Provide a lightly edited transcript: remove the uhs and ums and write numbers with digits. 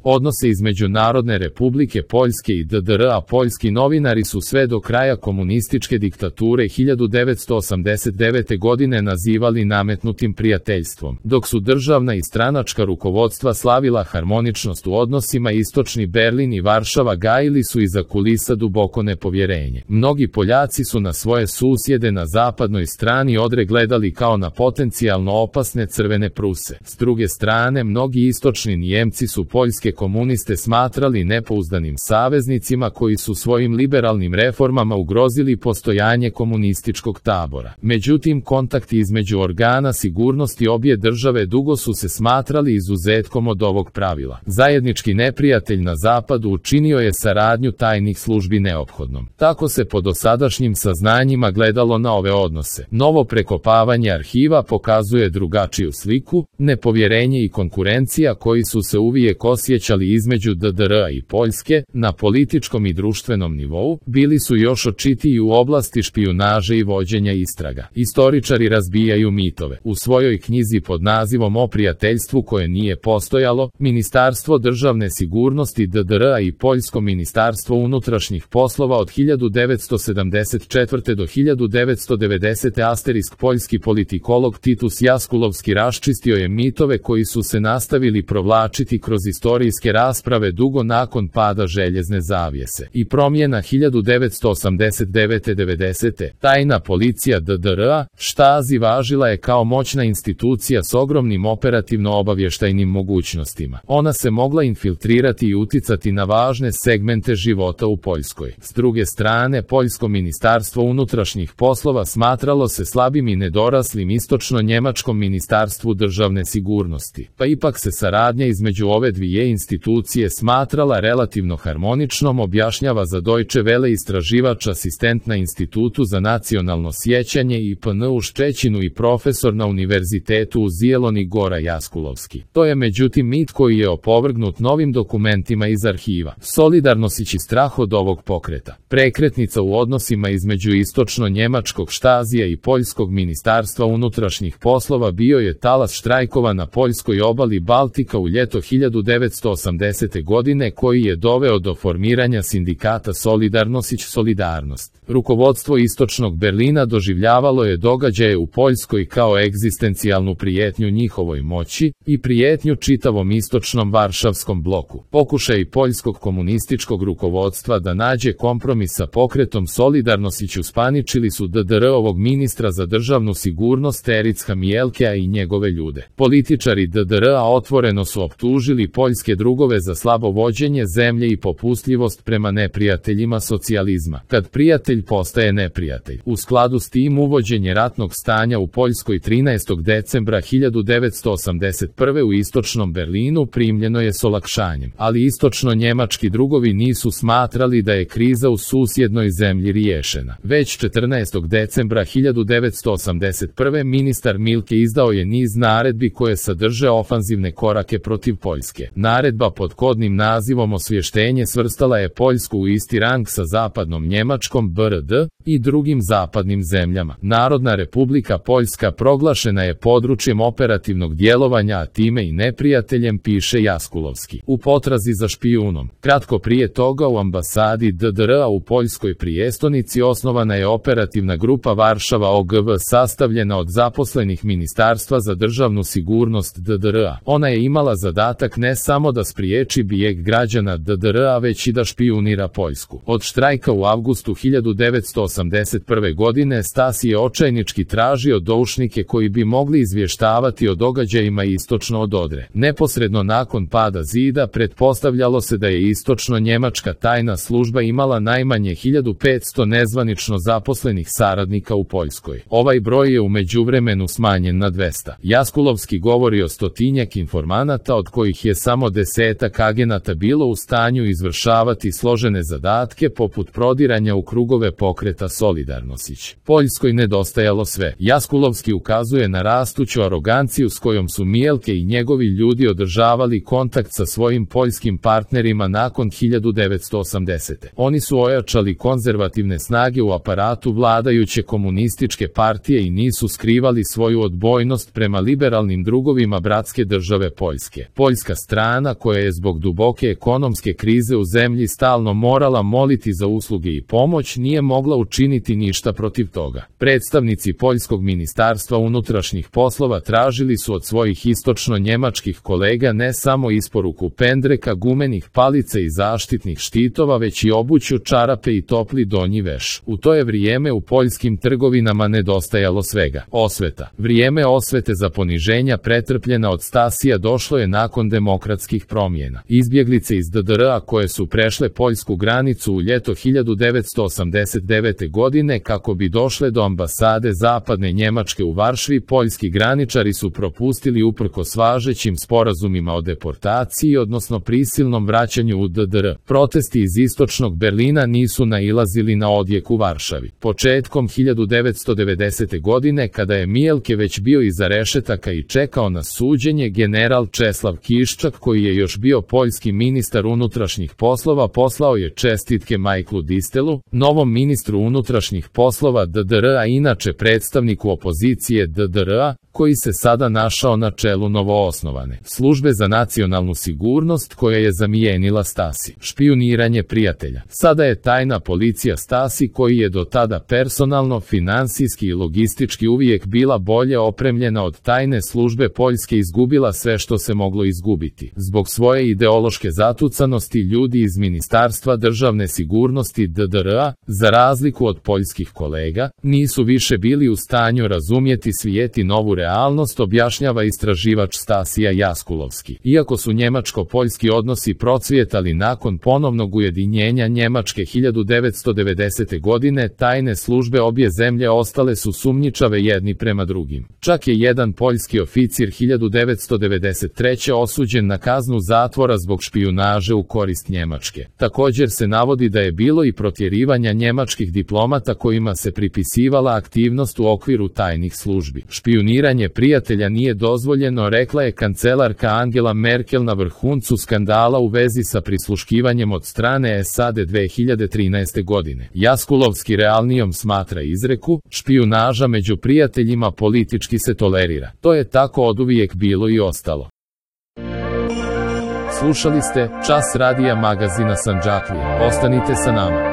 Odnose između Narodne Republike Poljske i DDR-a. Poljski novinari su sve do kraja komunističke diktature 1989. godine nazivali nametnutim prijateljstvom, dok su državna i stranačka rukovodstva slavila harmoničnost u odnosima. Istočni Berlin i Varšava gajili su iza kulisa duboko nepovjerenje. Mnogi Poljaci su na svoje susjede na zapadnoj strani Odre gledali kao na potencijalno opasne crvene Pruse. S druge strane, mnogi istočni Nijemci su poljske komuniste smatrali nepouzdanim saveznicima koji su svojim liberalnim reformama ugrozili postojanje komunističkog tabora. Međutim, kontakti između organa sigurnosti obje države dugo su se smatrali izuzetkom od ovog pravila. Zajednički neprijatelj na zapadu učinio je saradnju tajnih službi neophodnom. Tako se po dosadašnjim saznanjima gledalo na ove odnose. Novo prekopavanje arhiva pokazuje drugačiju sliku. Nepovjerenje i konkurencija koji su se uvijek osjećali između DDR-a i Poljske, na političkom i društvenom nivou, bili su još očitiji u oblasti špijunaže i vođenja istraga. Istoričari razbijaju mitove. U svojoj knjizi pod nazivom O prijateljstvu koje nije postojalo, Ministarstvo državne sigurnosti DDR-a i Poljsko ministarstvo unutrašnjih poslova od 1974. do 1990. Asterisk poljski politikolog Titus Jaskulovski raščistio je mitove koji su se nastavili provlačiti kroz istorijske rasprave dugo nakon pada željezne zavjese i promjena 1989-90. Tajna policija DDR-a, Stasi, važila je kao moćna institucija s ogromnim operativno-obavještajnim mogućnostima. Ona se mogla infiltrirati i uticati na važne segmente života u Poljskoj. S druge strane, Poljsko ministarstvo unutrašnjih poslova smatralo se slabim i nedoraslim istočno-njemačkom ministarstvu državne sigurnosti, pa ipak se saradnja između ove dvije institucije smatrala relativno harmoničnom, objašnjava za Deutsche Welle istraživač asistent na Institutu za nacionalno sjećanje IPN u Ščećinu i profesor na Univerzitetu u Zieloni Gora Jaskulovski. To je međutim mit koji je opovrgnut novim dokumentima iz arhiva. Solidarnosć i strah od ovog pokreta. Prekretnica u odnosima između istočno-njemačkog Štasija i Poljskog ministarstva unutrašnjih poslova bio je talas štrajkova na poljskoj obali Baltika u ljeto 1980. godine koji je doveo do formiranja sindikata Solidarnost. Rukovodstvo istočnog Berlina doživljavalo je događaje u Poljskoj kao egzistencijalnu prijetnju njihovoj moći i prijetnju čitavom istočnom varšavskom bloku. Pokušaj poljskog komunističkog rukovodstva da nađe kompromis sa pokretom Solidarnosć uspaničili su DDR-ovog ministra za državnu sigurnost Ericka Mielkea i njegove ljude. Političari DDR-a otvoreno su optužili poljske drugove za slabo vođenje zemlje i popustljivost prema neprijateljima socijalizma. Kad prijatelj postaje neprijatelj. U skladu s tim uvođenje ratnog stanja u Poljskoj 13. decembra 1981. u istočnom Berlinu primljeno je s olakšanjem, ali istočno-njemački drugovi nisu smatrali da je kriza u susjednoj zemlji riješena. Već 14. decembra 1981. ministar Milke izdao je niz naredbi koje sadrže ofanzivne korake protiv Poljske. Naredba pod kodnim nazivom Osvještenje svrstala je Poljsku u isti rang sa zapadnom Njemačkom BRD i drugim zapadnim zemljama. Narodna Republika Poljska proglašena je područjem operativnog djelovanja, a time i neprijateljem, piše Jaskulovski. U potrazi za špijunom. Kratko prije toga u ambasadi DDR-a u Poljskoj prijestolnici osnovana je operativna grupa Varšava OGV sastavljena od zaposlenih Ministarstva za državnu sigurnost DDR-a. Ona je imala zadatak ne samo da spriječi bijeg građana DDR-a, već i da špijunira Poljsku. Od štrajka u avgustu 1981. godine Stasi je očajnički tražio doušnike koji bi mogli izvještavati o događajima istočno od Odre. Neposredno nakon pada zida pretpostavljalo se da je istočno-njemačka tajna služba imala najmanje 1500 nezvanično zaposlenih saradnika u Poljskoj. Ovaj broj je u međuvremenu smanjen na 200. Jaskulovski govori o stotinjak informanata, od kojih je samo 10 agenata bilo u stanju izvršavati složene zadatke poput prodiranja u krugove pokreta Solidarnosć. Poljskoj nedostajalo sve. Jaskulovski ukazuje na rastuću aroganciju s kojom su Mielke i njegovi ljudi održavali kontakt sa svojim poljskim partnerima nakon 1980. Oni su ojačali konzervativne snage u aparatu vladajuće komunističke partije i nisu skrivali svoju odbojnost prema liberalnim drugovima bratske države Poljske. Poljska strana strana koja je zbog duboke ekonomske krize u zemlji stalno morala moliti za usluge i pomoć, nije mogla učiniti ništa protiv toga. Predstavnici Poljskog ministarstva unutrašnjih poslova tražili su od svojih istočno-njemačkih kolega ne samo isporuku pendreka, gumenih palica i zaštitnih štitova, već i obuću, čarape i topli donji veš. U to je vrijeme u poljskim trgovinama nedostajalo svega. Osveta. Vrijeme osvete za poniženja pretrpljena od Stasija došlo je nakon demokratskih promjena. Izbjeglice iz DDR-a koje su prešle poljsku granicu u ljeto 1989. godine kako bi došle do ambasade Zapadne Njemačke u Varšavi, poljski graničari su propustili uprkos važećim sporazumima o deportaciji, odnosno prisilnom vraćanju u DDR. Protesti iz istočnog Berlina nisu nailazili na odjek u Varšavi. Početkom 1990. godine, kada je Mielke već bio iza rešetaka i čekao na suđenje, general Česlav Kiščak, koji je još bio poljski ministar unutrašnjih poslova, poslao je čestitke Michaelu Distelu, novom ministru unutrašnjih poslova DDR-a, inače predstavniku opozicije DDR-a, koji se sada našao na čelu novoosnovane službe za nacionalnu sigurnost koja je zamijenila Stasi. Špijuniranje prijatelja. Sada je tajna policija Stasi, koji je do tada personalno, finansijski i logistički uvijek bila bolje opremljena od tajne službe Poljske, izgubila sve što se moglo izgubiti. Zbog svoje ideološke zatucanosti ljudi iz Ministarstva državne sigurnosti DDR-a, za razliku od poljskih kolega, nisu više bili u stanju razumjeti svijet i novu realnost, objašnjava istraživač Stasija Jaskulovski. Iako su njemačko-poljski odnosi procvjetali nakon ponovnog ujedinjenja Njemačke 1990. godine, tajne službe obje zemlje ostale su sumnjičave jedni prema drugim. Čak je jedan poljski oficir 1993. osuđen na kaznu zatvora zbog špijunaže u korist Njemačke. Također se navodi da je bilo i protjerivanja njemačkih diplomata kojima se pripisivala aktivnost u okviru tajnih službi. Špijuniranje prijatelja nije dozvoljeno, rekla je kancelarka Angela Merkel na vrhuncu skandala u vezi sa prisluškivanjem od strane SAD 2013. godine. Jaskulovski realnijom smatra izreku: špijunaža među prijateljima politički se tolerira. To je tako oduvijek bilo i ostalo. Slušali ste Čas radija magazina Sandžaklija. Ostanite sa nama.